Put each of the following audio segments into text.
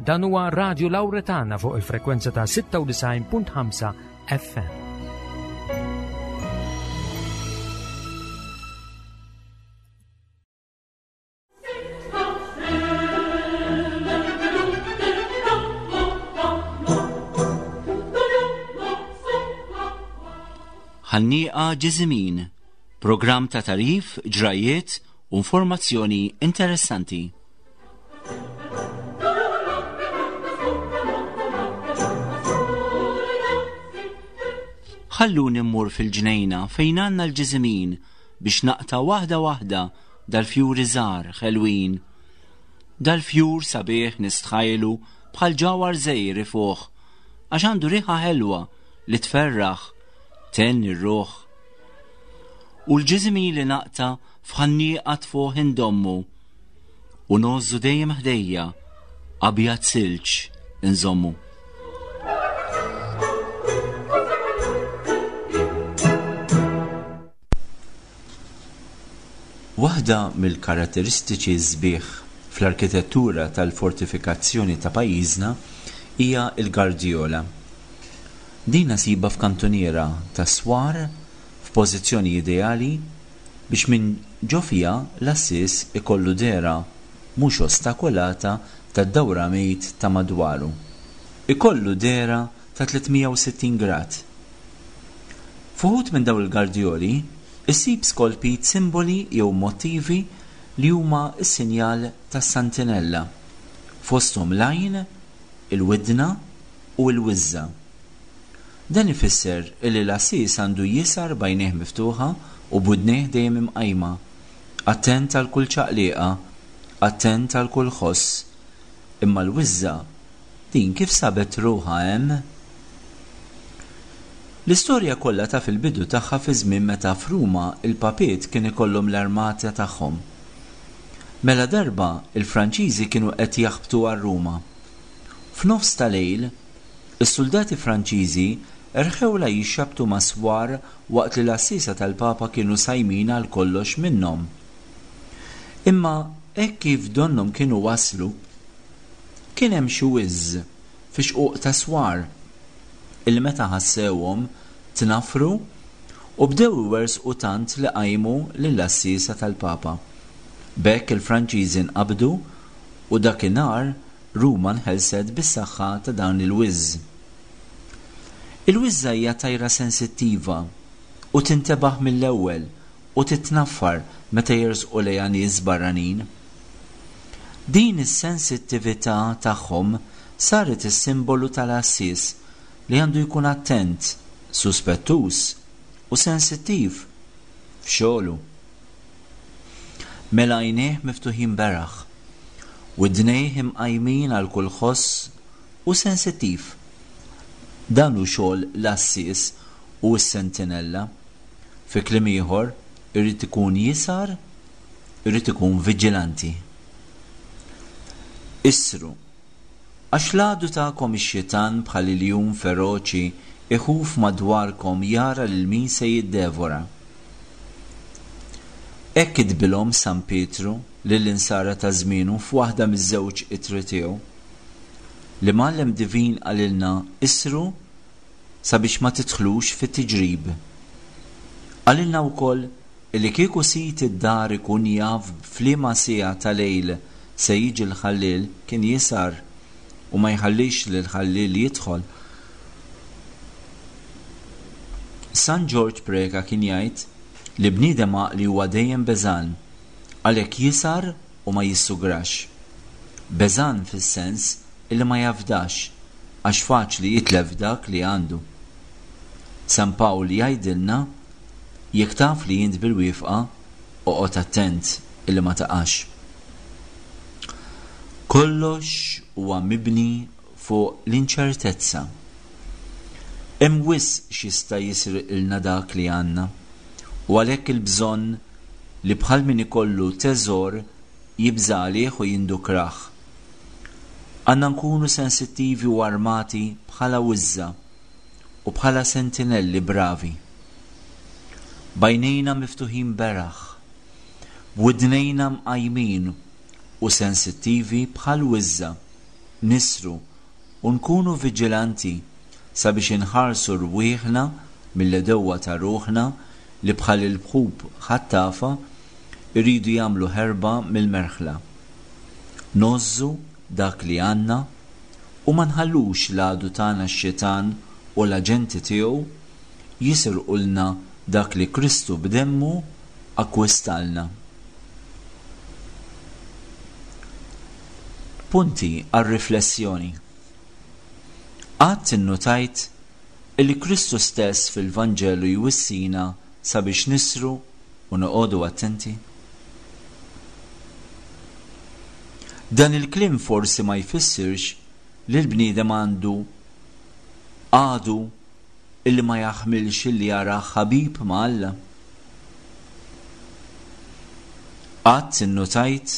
Dan huwa Radio Lauretana fuq il-frekwenza ta' 96.5 FM. Ħannieqa Ġiżimin, programm ta' tarif, ġrajiet u informazzjoni interessanti. Ħalluni mmur fil-ġnejna fejn għandna l-ġiżimin biex naqta' waħda waħda dal-fjuri żgħar ħelwin. Dal-fjur sabiħ nistħajlu bħal ġawhar żgħir ifuħ għax għandu riħa ħelwa li tferraħ, thenni r-ruħ. U l-ġiżimin li naqta' f'ħannieqa tfuħ indommu u ngħożżu dejjem ħdejja abjad silġ inżommu. Waħda mill-karatteristiċi sbieħ fl-arkitettura tal-fortifikazzjoni ta' pajjiżna hija l-gardjola. Din nasibha f'kantuniera ta' swar f'pożizzjoni ideali biex minn ġo fiha l-għassies ikollu dehra mhux ostakolata tad-dawramejt ta' madwaru. Ikollu dehra ta' 360 grad. F'uħud minn dawn il-gardjoli issib skolpit simboli jew mottivi li huma s-sinjal tas-santinella, fosthom l-għajn, il-widna u l-wiżża. Dan ifisser illi l-għassies għandu jisgħar b'għajnejh miftuħa u b'widnejh dejjem imqajma, attent għal kull ċaqliqa, attent għal kull ħoss. Imma l-wiżża, din kif sabet ruħha hemm? L-istorja kollha taf il-bidu tagħha fi żmien meta f'Ruma l-papiet kien ikollhom l-armata tagħhom. Mela darba l-Franċiżi kienu qed jaħbtu għal Ruma. F'nofs ta' lejl, Is-suldati Franċiżi rħewlha jixxabbtu ma' swar waqt li l-għassiesa tal-Papa kienu sajmin għal kollox minnhom. Imma hekk kif donnhom kienu waslu, kien hemm xi wiżż fi xquq ta' swar illi meta ħassewhom tnaffru u bdew iwerżqu tant li qajmu lill-għassiesa tal-Papa. B'hekk il-Franċiżi nqabdu u dakinhar Ruma nħelset bis-saħħa ta' dan il-wiżż. Il-wiżża hija tajra sensittiva u tintebaħ mill-ewwel u titnaffar meta jersqu lejha nies barranin. Din is-sensittività tagħhom saret is-simbolu tal-għassies li għandu jkun attent, suspettuż u sensittiv f'xogħlu. Mela għajnejh miftuħin beraħ Widnejh imqajmin għal kull ħoss u sensittiv. Dan hu xogħol l-għassies u s-sentinella. Fi kliem ieħor, irid ikun jisgħar, irid ikun viġilanti. Isru, għax l-għadu tagħkom ix-xitan bħal iljun feroċi iħuf madwarkom jara lil min se jiddevora. Hekk kitbilhom San Pietru lill-Insara ta' żmienu f'waħda miż-żewġ ittri tiegħu. L-Imgħallem Divin qalilna isru sabiex ma tidħlux fit-tiġrib. Qalilna wkoll illi kieku sid id-dar ikun jaf f'liema siegħa ta' lejl se jiġi l-ħalliel kien jisgħar u ma jħallix lill-ħalliel jidħol. San Ġorġ Preca kien jgħid li bniedem għaqli huwa dejjem beżgħan. Għalhekk jisgħar u ma jissugrax. Beżgħan fis-sens illi ma jafdax għax faċli jitlef dak li għandu. San Pawl jgħidilna jekk taf li int bil-wifqa oqgħod attent illi ma taqax. Kollox huwa mibni fuq l-inċertezza. Hemm wisq x'jista' jisirqilna dak li għandna u għalhekk il-bżonn li bħal min ikollu teżor jibża' għalih u jindukrah. Għandna nkunu sensittivi u armati bħala wiżża u bħala sentinelli bravi. B'għajnejna miftuħin beraħ, b'widnejna mqajmin u sensittivi bħal wiżża. Nisru u nkunu viġilanti sabiex inħarsu rwieħna mill-għedewwa ta' ruħna li bħal il-bħub ħattafa jridu jagħmlu ħerba mill-merħla. Ngħożżu dak li għandna u ma nħallux l-għadu tagħna x-xitan u l-aġenti tiegħu jisirqulna dak li Kristu b'demmu akkwistalna. Punti għar-riflessjoni. Qatt innutajt illi Kristu stess fil-Vanġelu jwissina sabiex nisru u noqogħdu attenti? Dan il-kliem forsi ma jfissirx li l-bniedem għandu għadu illi ma jaħmilx illi jarah ħabib ma' Alla. Qatt innutajt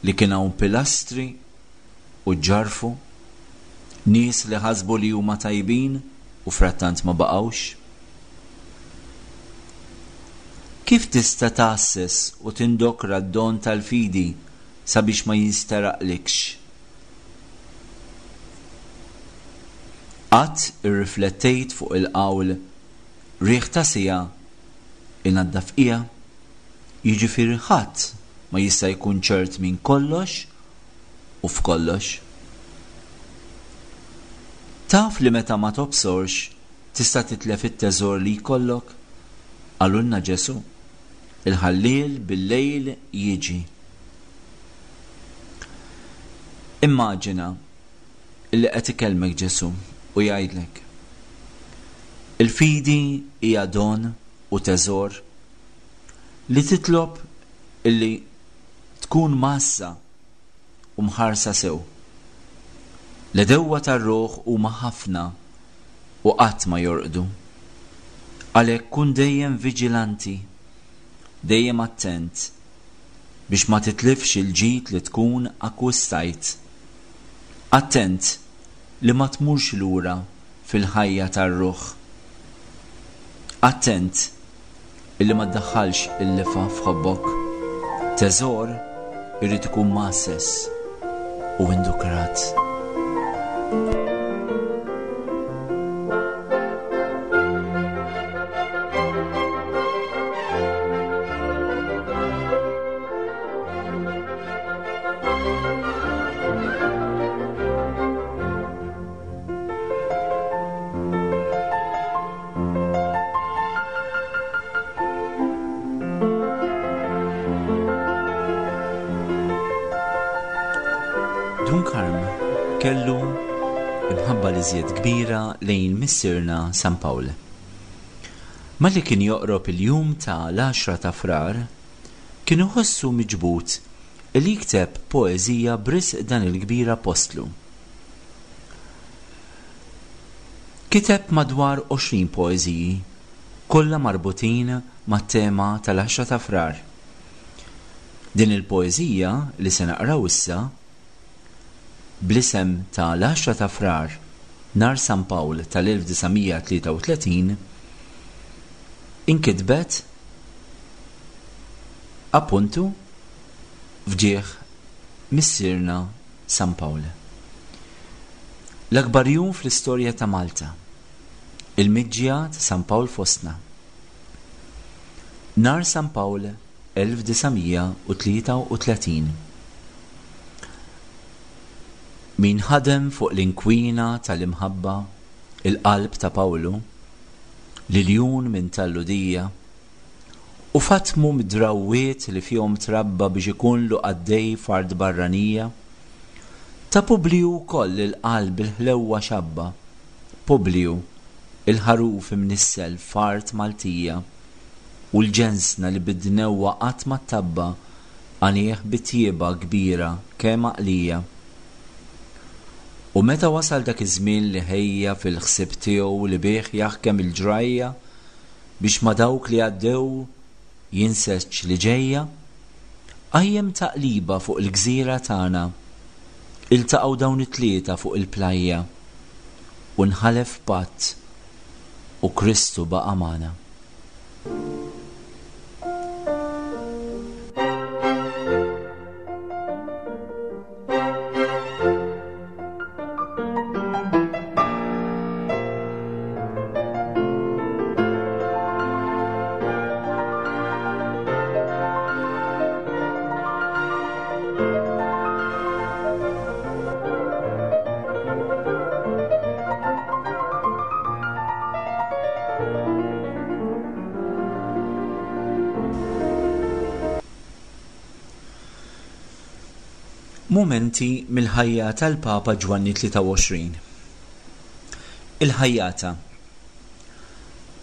li kien hawn pilastri u ġġarrfu, nies li ħasbu li huma tajbin u frattant ma baqgħux? Kif tista' tgħasses u tindokra d-don tal-fidi sabiex ma jinsteraqlikx? Qatt irriflettejt fuq il-qawl riħ ta' siegħa inaddaf qiegħa? Jiġifieri ħadd ma jista' jkun ċert minn kollox u f'kollox. Taf li meta ma tobsorx tista' titlef it-teżor li jkollok? Qalulna Ġesù, Il-ħalliel bil-lejl jiġi. Immaġina li qed ikellmek Ġesù u jgħidlek, Il-fidi hija don u teżor li titlob illi tkun mgħassa u mħarsa sew. L-għedewwa tar-ruħ huma ħafna u qatt ma jorqdu. Għalhekk kun dejjem viġilanti, dejjem attent biex ma titlifx il-ġid li tkun akkwistajt. Attent li ma tmurx lura fil-ħajja tar-ruħ. Attent illi ma ddaħħalx il-lifgħa f'ħobbok. Teżor irid ikun mgħasses u indukrat. Dun Karm kellu imħabba li żjed kbira lejn missierna San Pawl. Malli kien joqrob il-jum ta' l-għaxra ta' Frar, kien iħossu miġbud li jikteb poeżija b'risq dan il-kbir appostlu. Kiteb madwar 20 poeżiji, kollha marbutin mat-tema tal-għaxra ta' Frar. Din il-poeżija li se naqraw issa, bl-isem ta' L-Għaxra ta' Frar, Nhar San Pawl tal-1933, inkitbet appuntu f'ġieħ Missierna San Pawl. L-akbar jum fl-istorja ta' Malta. Il-miġja ta' San Pawl fostna. Nhar San Pawl 1933. Min ħadem fuq l-inkwina tal-imħabba, il-qalb ta' Pawlu, l-iljun minn tal-Lhudija, u fatmu mid-drawwiet li fihom trabba biex ikunlu qaddej f'art barranija, ta' Publiju wkoll il-qalb bil-ħlewwa xabba, Publiju, il-ħaruf imnissel f'art Maltija, u l-ġensna li bid-dnewwa qatt ma ttabba' għanih bi tjieba kbira kemm għaqlija. U meta wasal dak iż-żmien li ħejja fil-ħsieb tiegħu li bih jaħkem il-ġrajja biex ma' dawk li għaddew jinseġ li ġejja, qajjem taqliba fuq il-gżira tagħna. Iltaqgħu dawn it-tlieta fuq il-plajja u nħalef patt u Kristu baqa' magħna. Mumenti mill-ħajja tal-Papa Ġwanni 23. Il-ħajjata.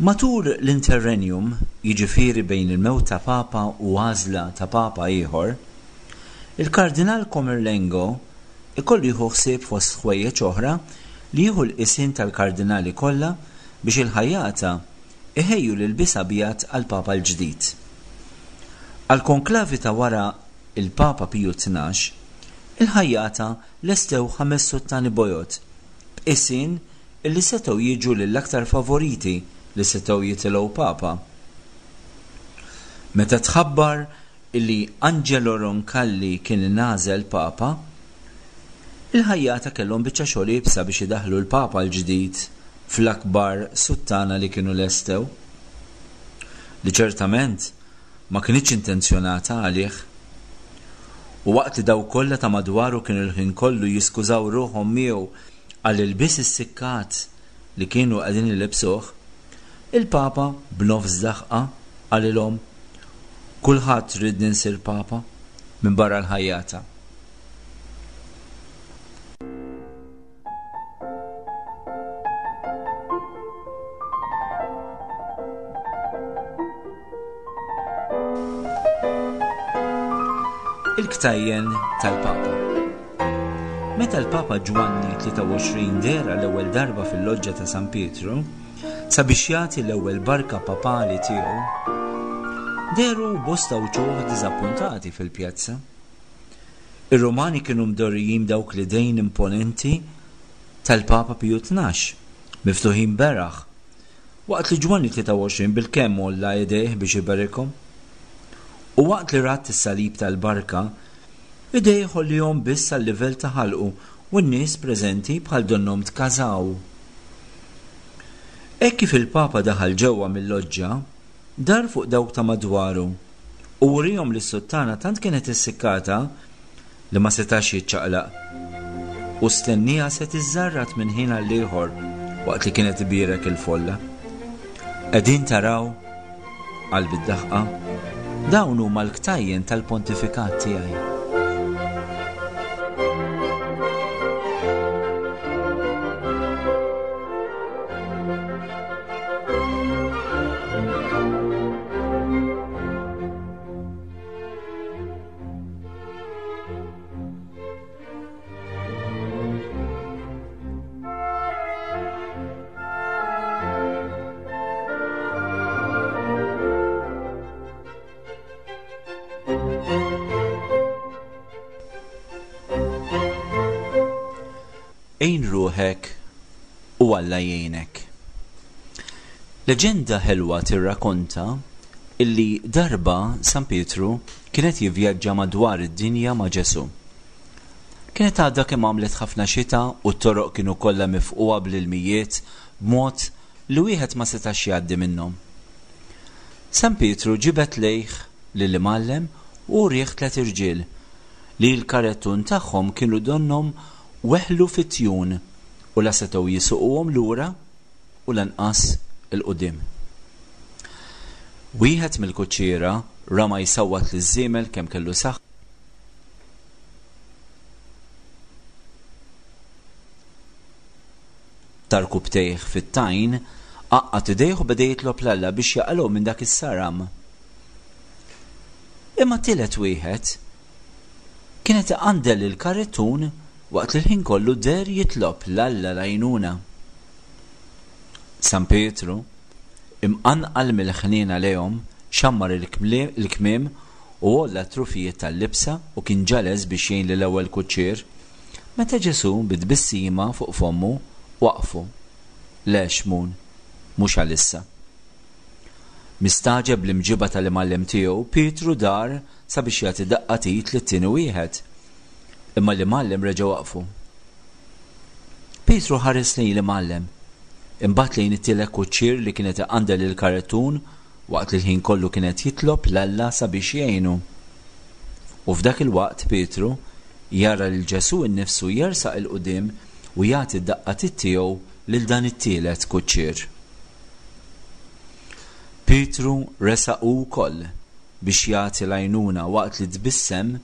Matul l-interregnum, jiġifieri bejn il-mewt ta' Papa u għażla ta' Papa ieħor, il-Kardinal Comerlengo ikollu jieħu ħsieb fost ħwejjeġ oħra li jieħu l-qisien tal-kardinali kollha biex il-ħajjata iħejju l-ilbies abjad għall-Papa l-ġdid. Għall-konklavi ta' wara l-Papa Piju 12, il-ħajjata lestew ħames suttani bojod b'qisien illi setgħu jiġu lill-aktar favoriti li setgħu jitilgħu Papa. Meta tħabbar illi Angelo Roncalli kien ingħażel Papa, il-ħajjata kellhom biċċa xogħol iebsa biex idaħħlu l-Papa l-ġdid fl-akbar suttana li kienu lestew. Li ċertament ma kinitx intenzjonata għalih. U waqt li dawk kollha ta' madwaru kienu l-ħin kollu jiskużaw ruħhom miegħu għall-ilbies issikkat li kienu qegħdin ilibbsuh, il-Papa, b'nofs daħqa, qalilhom, Kulħadd riedni nsir Papa, minbarra l-ħajjata. Il-ktajjen tal-Papa. Meta l-Papa Ġwanni 23 deher għall-ewwel darba fil-Loġġa ta' San Pietru sabiex jagħti l-ewwel barka papali tiegħu, dehru bosta wċuħ diżappuntati fil-pjazza. Ir-Rumani kienu mdorrijin b'dawk l-idejn imponenti tal-Papa Piju 12, miftuħin beraħ, waqt li Ġwanni 23 bilkemm għolla idejh biex iberikhom. U waqt li radd is-salib tal-barka, idejh għollihom biss sal-livell ta' ħalqu u n-nies preżenti bħal donnhom tkażaw. Hekk kif il-Papa daħal ġewwa mil-loġġa, dar fuq dawk ta' madwaru u wriehom li s-suttana tant kienet issikkata li ma setax jiċċaqlaq u stennieha se tiżżarrat minn ħin għall-ieħor waqt li kienet tbierek il-folla. Qegħdin taraw? qal bid-daħqa, dawn huma l-ktajjen tal-pontifikat tiegħi. Għin ruħek u Alla jgħinek. Leġenda ħelwa tirrakonta illi darba San Pietru kien qed jivvjaġġa madwar id-dinja ma' Ġesù. Kienet għadha kemm għamlet ħafna xita u t-toroq kienu kollha mifqugħa bl-ilmijiet b'mod li wieħed ma setax jgħaddi minnhom. San Pietru ġibed lejh lill-Imgħallem u urieh tliet irġiel li l-karettun tagħhom kienu donnhom weħlu fit-tjun u la setgħu jisuquhom lura u lanqas 'il quddiem. Wieħed mill-kuċċiera rama jsawwat liż-żiemel kemm kellu saħħa ta' rkubbtejh fit-tajn, għaqqad idejh u beda jitlob 'l Alla biex jaqalgħu minn dak is-saram. Imma t-tielet wieħed kien qed iqandel il-karettun waqt li l-ħin kollu deher jitlob 'l Alla l-għajnuna. San Pietru, imqanqal mill-ħniena lejhom, xammar il-kmiem u għolla t-trufijiet tal-libsa u kien ġa lest biex jgħin lill-ewwel kuċċier, meta Ġesù, bi tbissima fuq fommu, waqqfu. Le, Xmun, mhux għalissa. Mistagħġeb bl-imġiba tal-Imgħallem tiegħu, Pietru dar sabiex jagħti daqqa t'id lit-tieni wieħed. Imma l-Imgħallem reġa' waqqfu. Pietru ħares lejn l-Imgħallem, imbagħad lejn it-tielet kuċċier li kien qed iqandel il-karettun waqt li l-ħin kollu kien qed jitlob 'l Alla sabiex jgħinu. U f'dak il-waqt Pietru jara lil Ġesù nnifsu jersaq 'il quddiem u jagħti d-daqqa t'id tiegħu lil dan it-tielet kuċċier. Pietru resaq hu wkoll biex jagħti l-għajnuna waqt li tbissem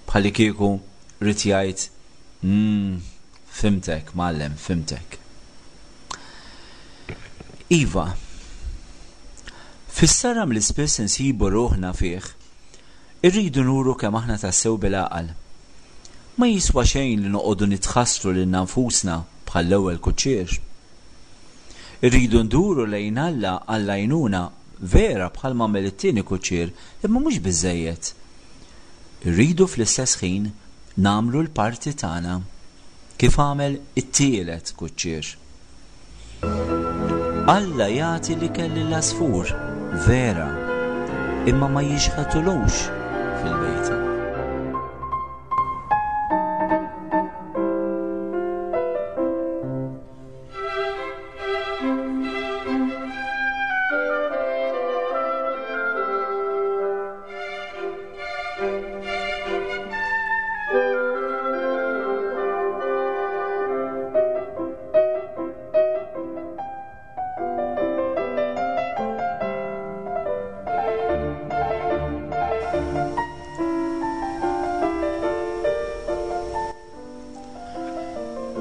bħallikieku. Ried jgħid, Umm, fhimtek, mgħallem, fhimtek. Iva, fis-saram li spiss insibu ruħna fih, irridu nuru kemm aħna tassew bil-għaqal. Ma jiswa xejn li noqogħdu nitħassru lilna nfusna bħall-ewwel kuċċier. Irridu nduru lejn Alla għall-għajnuna, vera bħalma għamel it-tieni kuċċier, imma mhux biżżejjed. Irridu fl-istess ħin nagħmlu l-parti tagħna, kif għamel it-tielet kuċċier. Alla jagħti l-ikel lill-għasfur, vera, imma ma jixħetulux fil-bejta.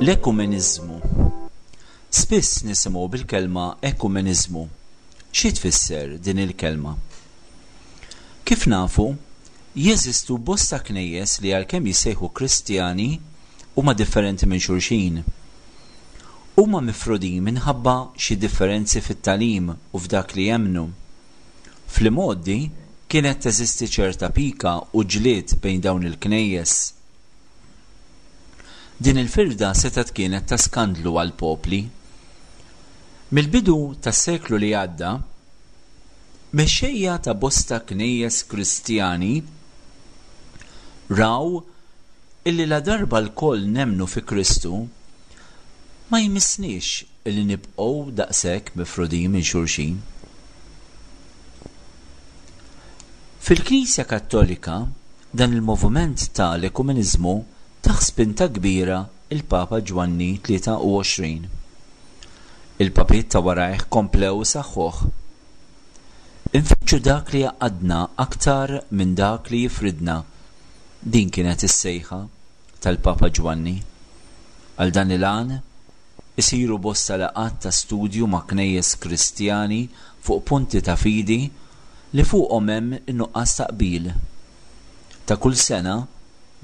L-ekumeniżmu. Spiss nisimgħu bil-kelma ekumeniżmu. Xi tfisser din il-kelma? Kif nafu, jeżistu bosta knejjes li għalkemm jissejħu Kristjani, huma differenti minn xulxin. Huma mifrudin minħabba xi differenzi fit-tagħlim u f'dak li jemmnu. Fl-imgħoddi kienet teżisti ċerta pika u ġlied bejn dawn il-knejjes. Din il-firda setgħet kienet ta' skandlu għall-popli. Mill-bidu tas-seklu li għadda, Mexxejja ta' bosta knejjes Kristjani raw illi ladarba lkoll nemmnu fi Kristu, ma jmissniex illi nibqgħu daqshekk mifrudin minn xulxin. Fil-Knisja Kattolika, dan il-moviment ta' l-ekumeniżmu tah spinta kbira l-Papa Ġwanni 23. Il-Papiet ta' warajh komplew isaħħuh. Infittxu dak li jgħaqqadna aktar minn dak li jifridna, din kienet is-sejħa tal-Papa Ġwanni. Għal dan il-għan, isiru bosta laqgħat ta' studju ma' knejjes Kristjani fuq punti ta' fidi li fuqhom hemm in-nuqqas ta' qbil. Ta' kull sena,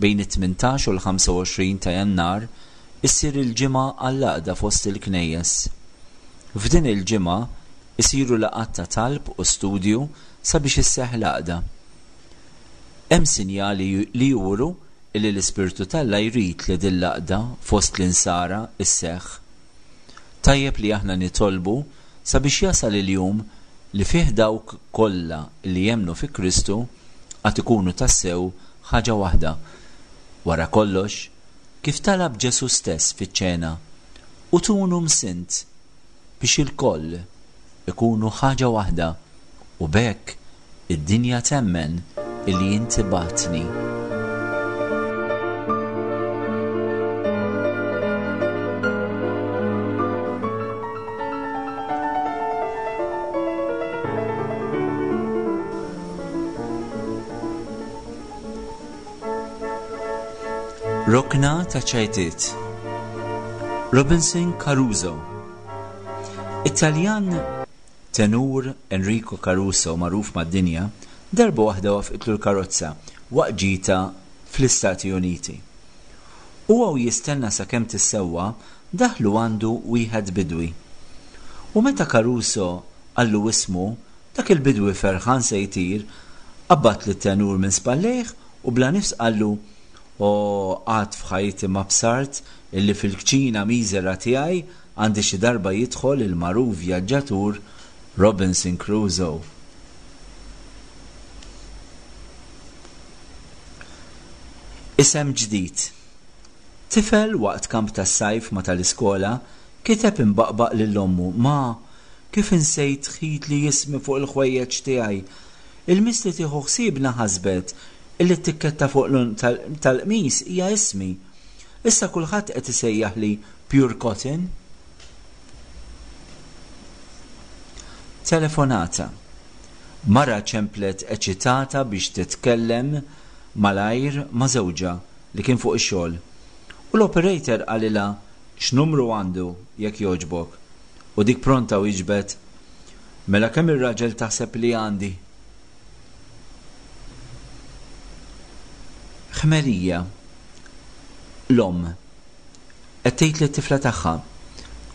bejn it-18 u l-25 ta' Jannar, issir il-Ġimgħa għall-Għaqda fost il-Knejjes. F'din il-ġimgħa isiru laqgħat ta' talb u studju sabiex isseħħ l-għaqda. Hemm sinjali li juru illi l-Ispirtu t'Alla jrid li din l-għaqda fost l-insara sseħħ. Tajjeb li aħna nitolbu sabiex jasal il-jum li fih dawk kollha li jemmnu fi Kristu għad ikunu tassew ħaġa waħda. Wara kollox, kif talab Ġesù stess fiċ-ċena, Ut unum sint, biex ilkoll ikunu ħaġa waħda u b'hekk id-dinja temmen illi inti bgħattni. Rokna ta' ċajtiet Robinson Caruso It-Taljan tenur Enrico Caruso magħruf mad-dinja darba waħda wafqitlu l-karozza waqt ġita fl-Istati Uniti. Huwa u jistenna sakemm tissewwa daħlu għandu wieħed bidwi. U meta Caruso qallu ismu Dak il-bidwi ferħan se jtir, qabbad lit-tenur minn spallejh u bla nifs qallu, O, qatt f'ħajti ma bsart illi fil-kċina miżera tiegħi għandi xi darba jidħol il-magħruf vjaġġatur Robinson Crusoe. Isem ġdid. Tifel waqt kamp tas-sajf ma' tal-iskola kiteb imbaqbaq lil ommu, Ma, Kif insejt tħitli ismi fuq il-ħwejjeġ tiegħi? Il-miss li tieħu ħsiebna ħasbet illi t-tikketta fuq l-għonq tal-qmis hija ismi. Issa kulħadd qed isejjaħli Pure Cotton. Telefonata. Mara ċemplet eċitata biex titkellem malajr ma' żewġha. li kien fuq ix-xogħol. U l-operator qalilha x'numru għandu jekk jogħġbok. U dik pronta wieġbet, Mela kemm ir-raġel taħseb li għandi? Ħmerija. L-omm. Qed tgħid lit-tifla tagħha,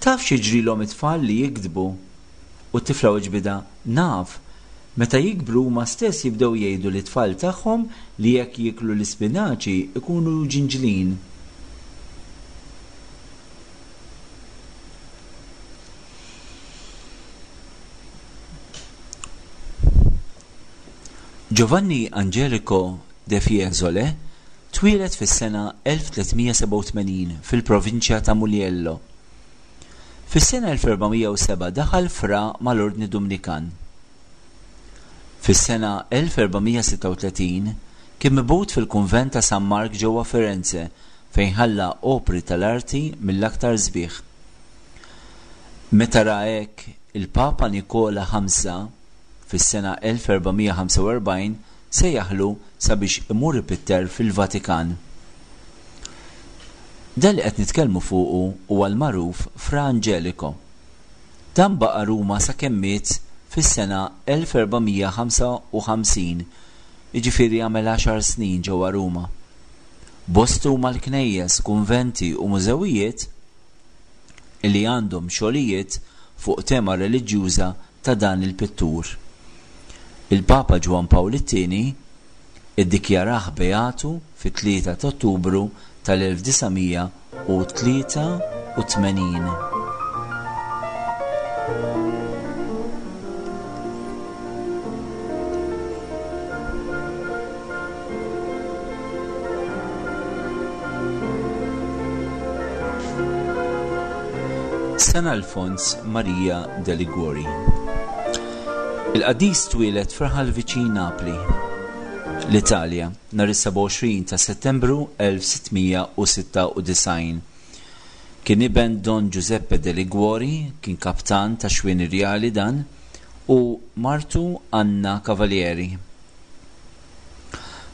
Taf x'jiġrilhom it-tfal li jigdbu? U t-tifla weġbitha, Naf. Meta jikbru huma stess jibdew jgħidu lit-tfal tagħhom li jekk jieklu l-ispinaċi jkunu ġinġlin. Giovanni Angelico de Fiesole twieled fis-sena 1387 fil-provinċja ta' Muliello. Fis-sena 1407 daħal fra mal-Ordni Dumnikan. Fis-sena 1436 kien mibgħut fil-kunvent ta' San Mark ġewwa Firenze fejn ħalla opri tal-arti mill-aktar sbieħ. Meta ra hekk, il-Papa Nikola Ħamsa, fis-sena 1445 sejjaħlu sabiex imur ipitter fil-Vatikan. Dan li qed nitkellmu fuqu huwa l-magħruf Fra Angelico. Dan baqa' Ruma sakemm miet fis-sena 1455, jiġifieri għamel għaxar snin ġewwa Ruma. Bosta huma l-knejjes, kunventi u mużewijiet li għandhom xogħlijiet fuq tema reliġjuża ta' dan il-pittur. Il-Papa Ġwann Pawl it-Tieni iddikjarah beatu fit-3 ta' Ottubru tal-1983. San Alfons Maria de Liguori. Il-qaddis twieled f'raħal viċin Napli, l-Italja, nhar is-27 ta' Settembru 1696. Kien iben Don Giuseppe de Liguori, kien kaptan tax-xwieni rjali dan, u martu Anna Cavalieri.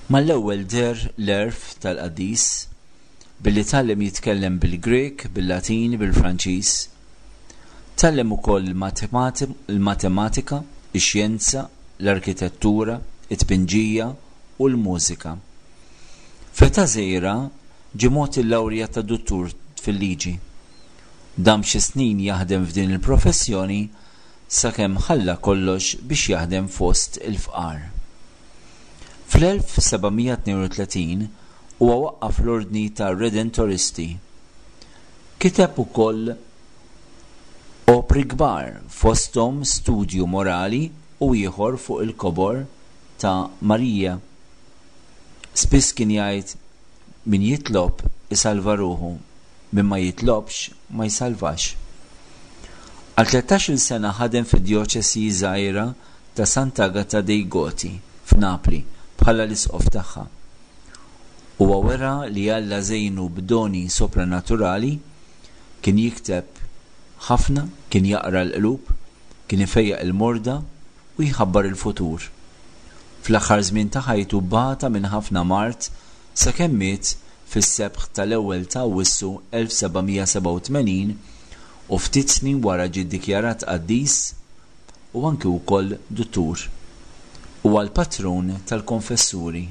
Mal-ewwel deher l-għerf tal-qaddis, billi tgħallem jitkellem bil-Grieg, bil-Latin, bil-Franċiż. Tgħallem ukoll il-matematika, ix-xjenza, l-arkitettura, it-tpinġija u l-mużika. F'età żgħira ġie mogħti l-lawrja ta' duttur fil-liġi. Dam xi snin jaħdem f'din il-professjoni sakemm ħalla kollox biex jaħdem fost il-fqar. Fl-1732 huwa waqqaf l-Ordni tar-Redentoristi. Kiteb ukoll opri kbar, fosthom studju morali u ieħor fuq il-kobor ta' Marija. Spiss kien jgħid, Min jitlob isalva ruħu, min ma jitlobx ma jsalvax. Għal tlettax-il sena ħadem fid-djoċesi żgħira ta' Sant'Agata dei Goti, f'Napli, bħala l-isqof tagħha. Huwa wera li Alla żejnu b'doni sopranaturali, kien jikteb ħafna, kien jaqra l-qlub, kien ifejjaq il-morda u jħabbar il-futur. Fl-aħħar żmien ta' ħajtu bata minn ħafna mard sakemm miet fis-sebħ tal-ewwel ta' Awwissu 1787 u ftit snin wara ġie ddikjarat qaddis u anki wkoll duttur. Huwa l-patrun tal-konfessuri.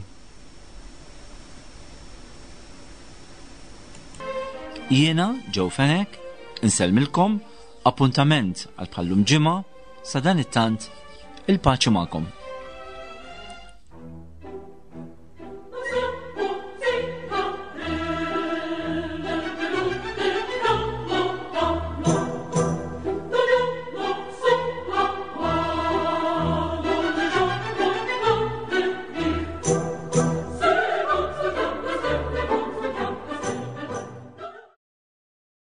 Jiena, Joe Fenech, insellmilkom, appuntament għal bħal-lum ġimgħa, sadanittant, il-paċi magħkom.